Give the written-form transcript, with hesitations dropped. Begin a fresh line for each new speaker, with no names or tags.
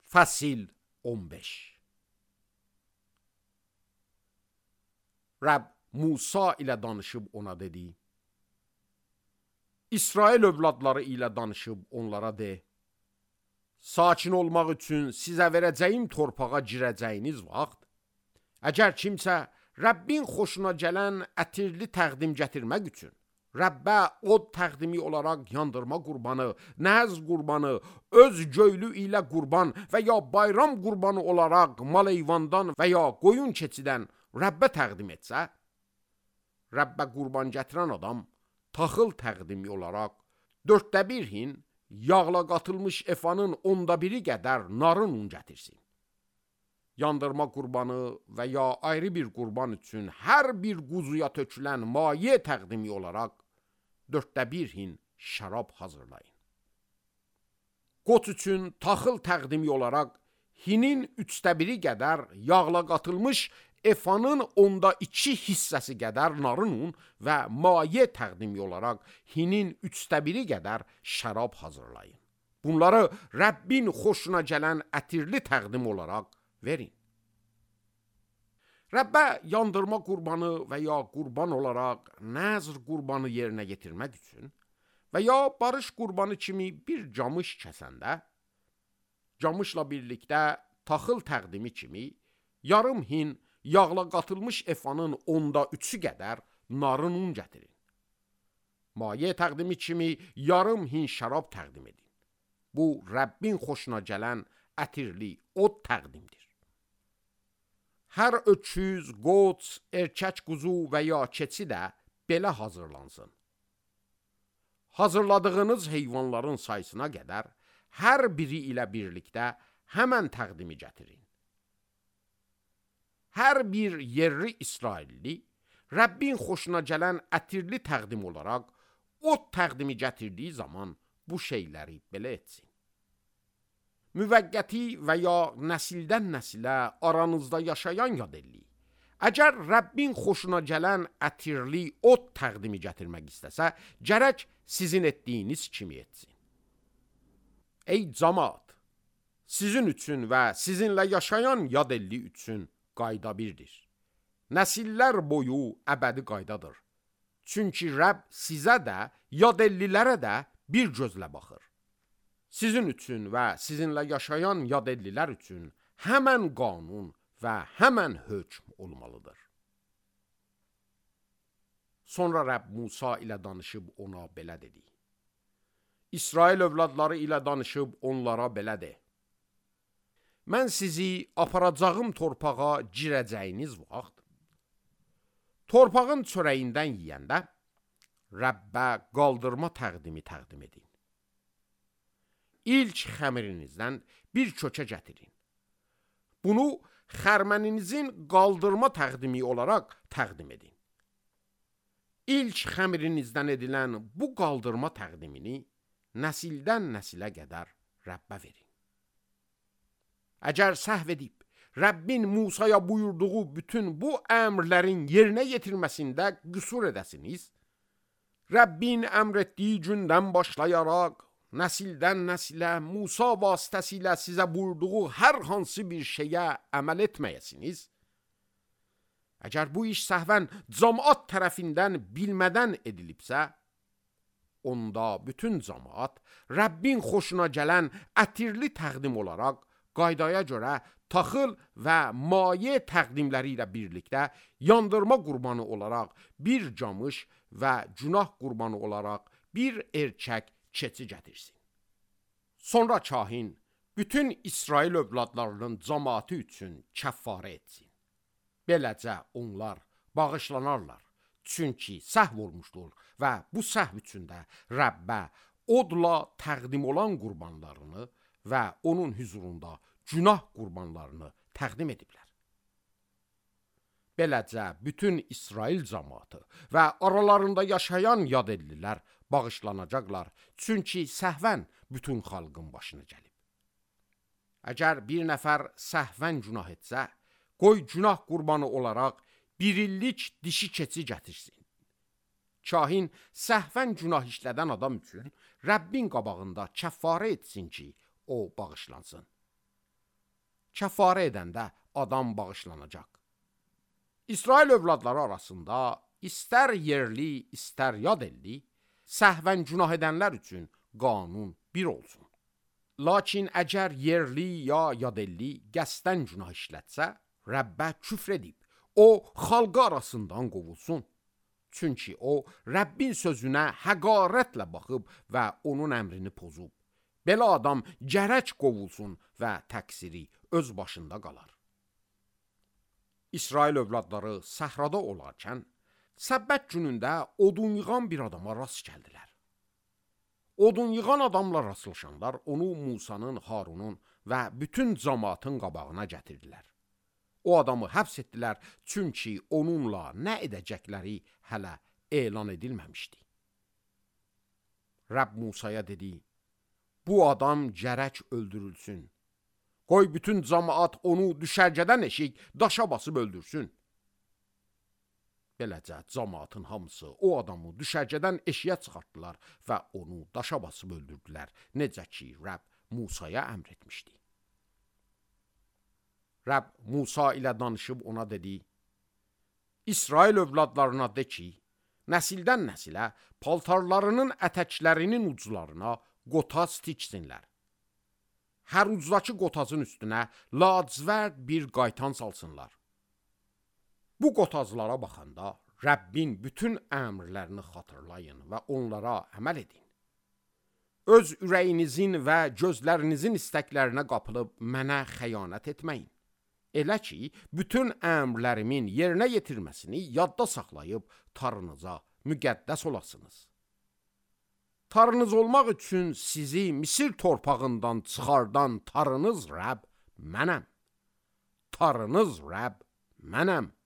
Fəsil 15. Rəbb Musa ilə danışıb ona dedi: İsrail övladları ilə danışıb onlara de: sakin olmaq üçün sizə verəcəyim torpağa girəcəyiniz vaxt, əgər kimsə Rəbbin xoşuna gələn ətirli təqdim gətirmək üçün Rəbbə od təqdimi olaraq yandırma qurbanı, nəhəz qurbanı, öz göylü ilə qurban və ya bayram qurbanı olaraq mal-heyvandan və ya qoyun keçidən Rəbbə təqdim etsə, Rəbbə qurban gətirən adam taxıl təqdimi olaraq 1/4 hin yağla qatılmış efanın 1/10 qədər narın un gətirsin. Yandırma qurbanı və ya ayrı bir qurban üçün hər bir quzuya tökülən maye təqdimi olaraq 1/4 hin şərab hazırlayın. Qoç üçün taxıl təqdimi olaraq hinin 1/3 qədər yağla qatılmış efanın 2 hissəsi qədər narın un və maye təqdimi olaraq hinin 1/3 qədər şərab hazırlayın. Bunları Rəbbin xoşuna gələn ətirli təqdim olaraq verin. Rəbbə yandırma qurbanı və ya qurban olaraq nəzr qurbanı yerinə yetirmək üçün və ya barış qurbanı kimi bir camış kəsəndə, camışla birlikdə taxıl təqdimi kimi yarım hin yağla qatılmış efanın 3/10 qədər narın un gətirin. Maye təqdimi kimi yarım hin şərab təqdim edin. Bu, Rəbbin xoşuna gələn ətirli od təqdimdir. Hər öküz, qoç, erkək quzu və ya keçi də belə hazırlansın. Hazırladığınız heyvanların sayısına qədər hər biri ilə birlikdə həmən təqdimi gətirin. Hər bir yerli İsrailli Rəbbin xoşuna gələn ətirli təqdim olaraq od təqdimi gətirdiyi zaman bu şeyləri belə etsin. Müvəqqəti və ya nəsildən nəsilə aranızda yaşayan yadelli, əgər Rəbbin xoşuna gələn ətirli od təqdimi gətirmək istəsə, gərək sizin etdiyiniz kimi etsin. Ey camaat, sizin üçün və sizinlə yaşayan yadelli üçün qayda birdir. Nəsillər boyu əbədi qaydadır. Çünki Rəbb sizə də, yadellilərə də bir gözlə baxır. Sizin üçün və sizinlə yaşayan yadellilər üçün həmən qanun və həmən hökm olmalıdır. Sonra Rəbb Musa ilə danışıb ona belə dedi: İsrail övladları ilə danışıb onlara belə de: mən sizi aparacağım torpağa girəcəyiniz vaxt, torpağın çörəyindən yiyəndə Rəbbə qaldırma təqdim edin. İlk xəmirinizdən bir kökə gətirin. Bunu xərməninizin qaldırma təqdimi olaraq təqdim edin. İlk xəmirinizdən edilən bu qaldırma təqdimini nəsildən nəsilə qədər Rəbbə verin. Əgər səhv edib Rəbbin Musaya buyurduğu bütün bu əmrlərin yerinə yetirməsində qüsur edəsiniz, Rəbbin əmr etdiyi gündən başlayaraq nəsildən nəsilə Musa vasitəsilə sizə buyurduğu hər hansı bir şeyə əməl etməyəsiniz, əgər bu iş səhvən cəmaat tərəfindən bilmədən edilibsə, onda bütün cəmaat Rəbbin xoşuna gələn ətirli təqdim olaraq qaydaya görə taxıl və maye təqdimləri ilə birlikdə yandırma qurbanı olaraq bir camış və günah qurbanı olaraq bir erkək keçi gətirsin. Sonra kahin bütün İsrail övladlarının cəmaatı üçün kəffarə etsin. Beləcə onlar bağışlanarlar. Çünki səhv olmuşdur və bu səhv üçün də Rəbbə odla təqdim olan qurbanlarını və onun hüzurunda günah qurbanlarını təqdim ediblər. Beləcə bütün İsrail cəmaatı və aralarında yaşayan yadellilər bağışlanacaqlar, çünki səhvən bütün xalqın başına gəlib. Əgər bir nəfər səhvən günah etsə, qoy günah qurbanı olaraq bir illik dişi keçi gətirsin. Kahin səhvən günah işlədən adam üçün Rəbbin qabağında kəffarə etsin ki, o bağışlansın. kəfarə edəndə adam bağışlanacaq. İsrail övladları arasında istər yerli, istər yad elli, səhvən günah edənlər üçün qanun bir olsun. Lakin əgər yerli ya yad elli qəsdən günah işlətsə, Rəbbə küfr edib, o xalqı arasından qovulsun. Çünki o Rəbbin sözünə həqarətlə baxıb və onun əmrini pozub. Belə adam gərək qovulsun və təqsiri öz başında qalar. İsrail övladları səhrada olarkən, Səbbət günündə odun yığan bir adama rast gəldilər. Odun yığan adamla rastlaşanlar onu Musanın, Harunun və bütün cəmaatın qabağına gətirdilər. O adamı həbs etdilər, çünki onunla nə edəcəkləri hələ elan edilməmişdi. Rəbb Musaya dedi, bu adam gərək öldürülsün. Qoy bütün cəmaat onu düşərgədən eşik daşa basıb öldürsün. Beləcə cəmaatın hamısı o adamı düşərgədən eşiyə çıxartdılar və onu daşa basıb öldürdülər, necə ki Rəbb Musaya əmr etmişdi. Rəbb Musa ilə danışıb ona dedi, İsrail övladlarına de ki, nəsildən nəsilə paltarlarının ətəklərinin uclarına qotaz tiksinlər. Hər ucdakı qotazın üstünə lacivərd bir qaytan salsınlar. Bu qotazlara baxanda Rəbbin bütün əmrlərini xatırlayın və onlara əməl edin. Öz ürəyinizin və gözlərinizin istəklərinə qapılıb mənə xəyanət etməyin. Elə ki, bütün əmrlərimin yerinə yetirməsini yadda saxlayıb tarınıza müqəddəs olasınız. Tarınız olmaq üçün sizi Misir torpağından çıxardan tarınız Rəbb mənəm. Tarınız Rəbb mənəm.